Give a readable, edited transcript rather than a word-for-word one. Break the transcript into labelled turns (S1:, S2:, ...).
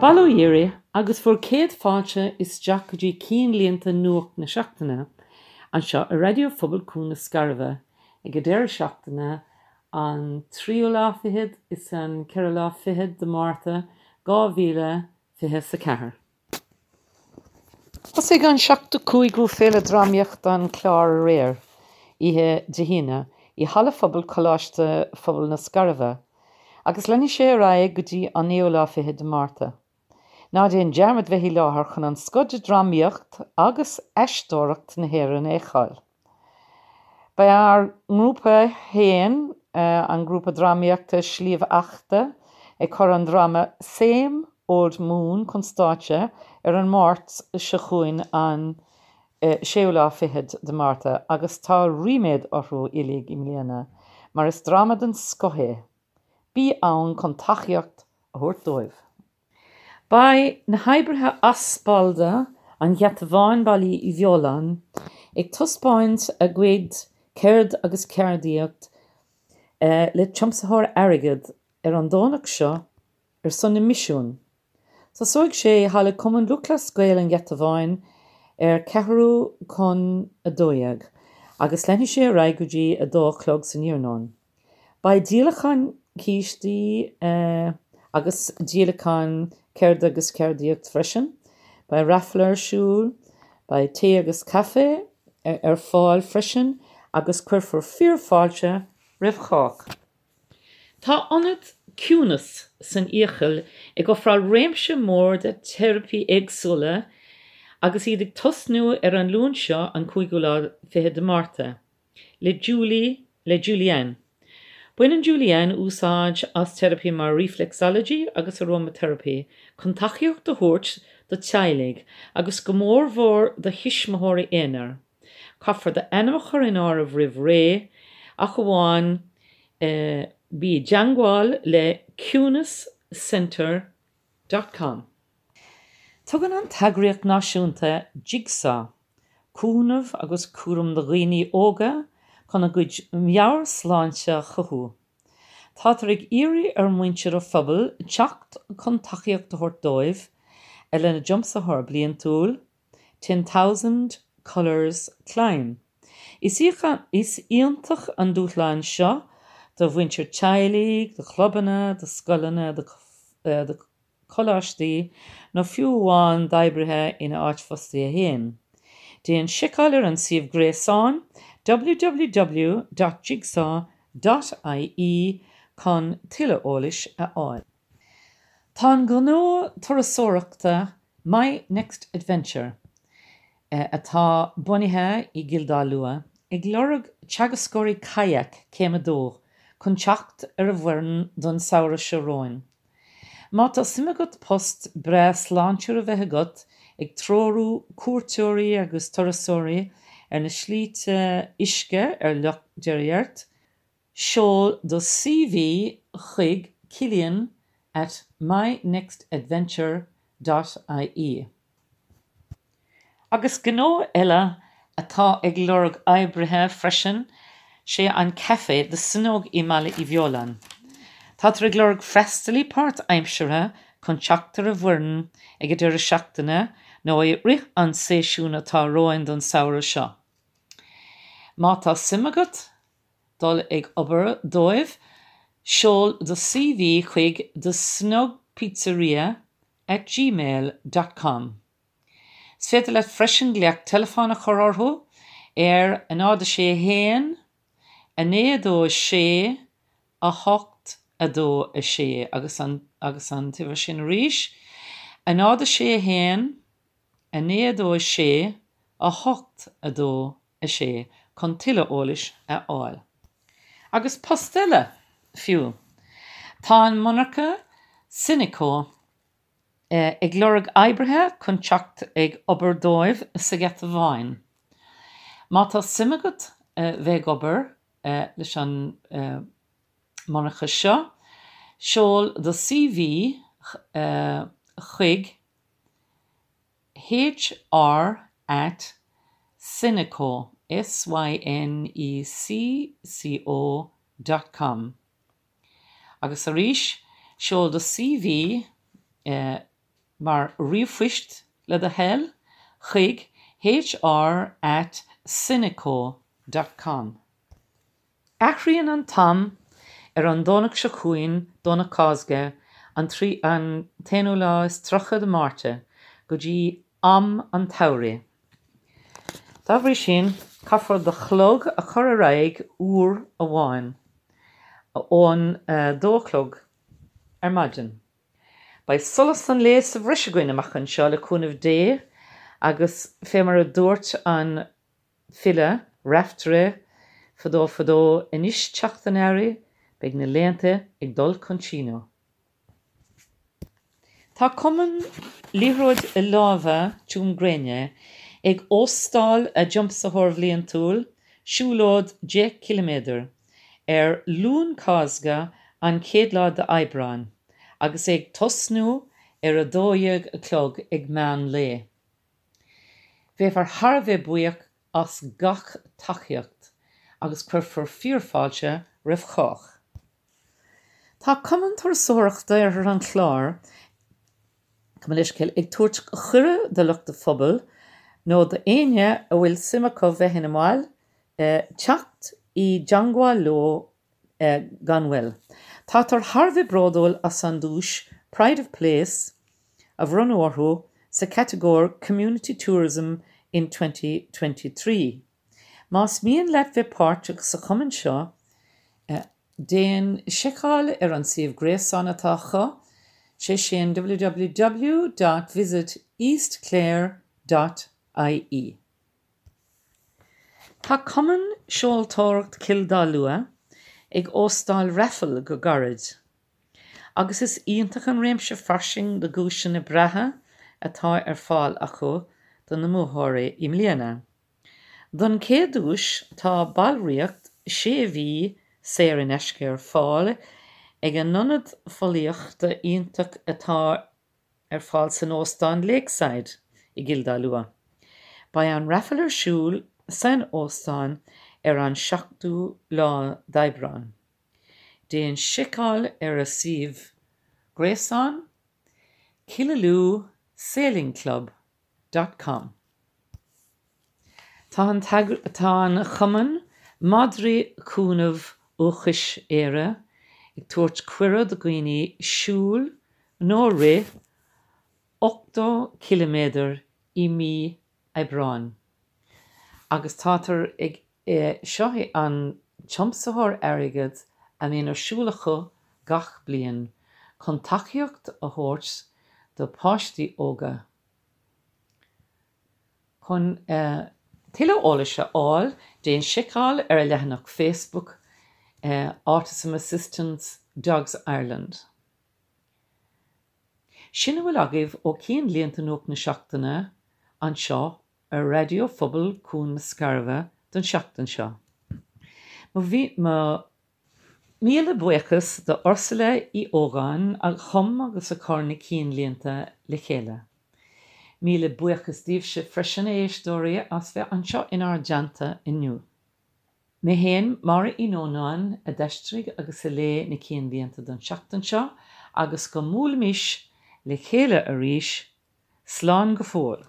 S1: Bail ó Dhia oraibh agus bhur gcéad fáilte isteach go dtí cinnlíonta Nuacht na Seachtaine anseo ar Raidió Phobail Cuan na Scairbhe ag an deireadh seachtaine an tríú lá fichead is an ceathrú lá fichead de Márta 2024. Thosaigh an 75ú Féile Drámaíochta an Chláir aréir, oíche Dé hAoine, i Halla Phobail Choláiste Phobail na Scairbhe, agus leanfaidh sé ar aghaidh go dtí an naoú lá fichead de Márta. Ná déan dearmad bheith i láthair chun an scoth de dhrámaíocht agus aisteoireacht na hÉireann a fheiceáil. Beidh ár ngrúpa féin, an grúpa drámaíochta Sliabh Eachta, ag cur an dráma Same Old Moon chun stáitse ar an Máirt seo chugainn an séú lá fichead de Márta agus tá ríméad orthu uilig i mbliana mar is dráma den scoth é. Bí ann chun tacaíocht a thabhairt dóibh. Beidh na hoibrithe Aspalda an Gheata Bháin, Baile Uí Bheoláin, ag taispeáint a gcuid ceird agus ceardaíocht le tiomsaitheoir airgid ar an Domhnach seo ar son na Misiún. Tosóidh sé i Halla Cumann Lúthchleas Gael an Gheata Bháin ar ceathrú chun 12 agus leanfaidh sé ar aghaidh go dtí 2 a chlog san iarnóin. Beidh díolachán cístí agus díolachán ceirde agus ceardaíocht freisin. Beidh raifil ar siúl, beidh tae agus caife ar fáil freisin agus cuirfear fíor-fháilte roimh chách. Tá ionad Ciúnas san Fhiacail ag ofráil réimse mór de teiripí éagsúla agus iad ag tosnú ar an Luan seo an cúigiú lá fichead de Márta. Le Julie, le Julianne. Baineann Julianne úsáid as teiripí mar reflexology agus aromatherapy chun tacaíocht a thabhairt do teaghlaigh agus go mór mhór do thuismitheoirí aonair. Caithfear d'ainm a chur in áirithe roimh ré ach amháin bí i dteangmháil le ciúnascentre dot com. Tugann an t-eagraíocht náisiúnta Jigsaw cúnamh agus cúram do dhaoine óga chun a gcuid meabhairshláinte a chothú. Táthar ag iarraidh ar mhuintir an phobail teacht chun tacaíocht a thabhairt dóibh lena dtiomsaitheoir bliantúil, 10,000 Colours Climb. Is iontach an dúshlán seo do mhuintir teaghlaigh, do chlubanna, do scoileanna, do choláistí nó fiú amháin d'oibrithe ina áit fostaithe féin. Déan seiceáil ar an suíomh gréasáin www.jigsaw.ie chun tuilleadh eolais a fháil. Tá an gnó turasóireachta My Next Adventure, atá bunaithe i gCill Dá Lua, ag lorg teagascóirí kayak céim 2 chun teacht ar a bhfoireann don samhradh seo romhainn. Má tá suim agat post breá sláintiúil a bheith agat ag treorú cuairteoirí agus turasóirí ar na slite uisce ar Loch Deirgdheirc, seol do CV chuig Cillian at mynextadventure dot ie. Agus gnó eile atá ag lorg oibrithe freisin sé an caife The Snug i mBaile Uí Bheoláin. Táthar ag lorg freastalaí páirt-aimseartha chun teacht ar an bhfoireann ag an deireadh seachtaine nó i rith an séasúin atá romhainn don samhradh seo. Má tá suim agat dul ag obair dóibh, seol do CV chuig The Snug Pizzeria at gmail dot com. Is féidir leat freisin glaoch teileafóin a chur orthu ar 0 6 1 9 2 6 8 2 6 agus an agus an t-uimhir sin arís 0 6 1 9 2 6 8 2 6 chun tuilleadh eolais a fháil. Agus post eile, fiú. Tá an monarcha Syneco ag lorg oibrithe chun teacht ag obair dóibh sa Gheata Bháin. Má tá suim agat bheith ag obair leis an monarcha seo, seol do CV chuig hr at syneco, S-Y-N-E-C-C-O, dot com. Agus arís, seol do CV. mar ríomhphoist le do thoil chuig hr at sineco dot com. Athraíonn an t-am ar an Domhnach seo chugainn, Domhnach Cásca, an an t-aonú lá is 30 de Márta, go dtí am an tsamhraidh. Dá bhrí sin, caithfear do chlog a chur ar aghaidh uair amháin, ón 2 a chlog ar maidin. Beidh solas an lae sa bhreis againn amach anseo le cúnamh Dé agus fé mar a dúirt an file Raiftearaí fadó fadó, anois teacht an earraigh, beidh na laethanta ag dul chun síneadh. Tá Cumann Liathróid Láimhe Tuaim Gréine ag óstáil a dtiomsaitheoir bhliantúil, siúlóid 10 ciliméadar, ar Luan Cásca an chéad lá d'Aibreán agus é ag tosnú ar 12 a chlog ag meán lae. Bheifear thar a bheith buíoch as gach tacaíocht agus cuirfear fíorfháilte roimh chách. Tá Cumann Turasóireachta Oirthear an Chláir, gabh mo leithscéal, ag tabhairt cuireadh do lucht an phobail, nó d'éinne a bhfuil suim acu bheith ina mbaill, teacht i dteangmháil leo gan mhoill. Táthar thar a bheith bródúil as an duais Pride of Place a bhronnadh orthu sa chatagóir Community Tourism in 2023. Más mian leat bheith páirteach sa chumann seo, déan seiceáil ar an suíomh gréasáin atá acu, sé sin www dot visiteastclare dot ie. Tá Cumann Seoltóireacht Chill Dá Lua ag óstáil raffle go gairid agus is iontach an réimse fairsing de dhuaiseanna breátha atá ar fáil acu do na mbuaiteoirí i mbliana. Don chéad duais tá ballraíocht sé mhí saor in aisce ar fáil ag an ionad fóillíochta iontach atá ar fáil san Óstán Lakeside i gCill Dá Lua. Beidh an raffle ar siúl san óstán ar an 7ú lá d'Aibreán. Déan seiceáil ar a suíomh gréasáin, Killaloe Sailing Club dot com. Tá an tá an Chumann Madraí Cúnamh Dúchais Éire ag tabhairt cuireadh do dhaoine siúl nó rith 80 ciliméadar i mí Aibreáin agus tátar ag Seo é an tiomsaitheoir airgid a mbíonn ar siúl acu gach bliain chun tacaíocht a thabhairt do pháistí óga. Chun tuilleadh eolais a fháil, déan seiceáil ar a leathanach Facebook Autism Assistance Dogs Ireland. Sin a bhfuil agaibh ó Cinnlínte Nuacht na Seachtaine anseo ar Raidió Phobail Cuan na Scairbhe don seachtain seo. Mo mhíle buíochas do Ursula Uí Ógáin a chum agus a chur na cinnlínte le chéile. Míle buíochas daoibhse freisin, a éisteoirí, as bheith anseo inár dteannta inniu. Mé féin, Máire Uí Nónáin, a d'aistrigh agus a léigh na cinnlínte don seachtain seo agus go mbuailfimis le chéile arís, slán go fóill.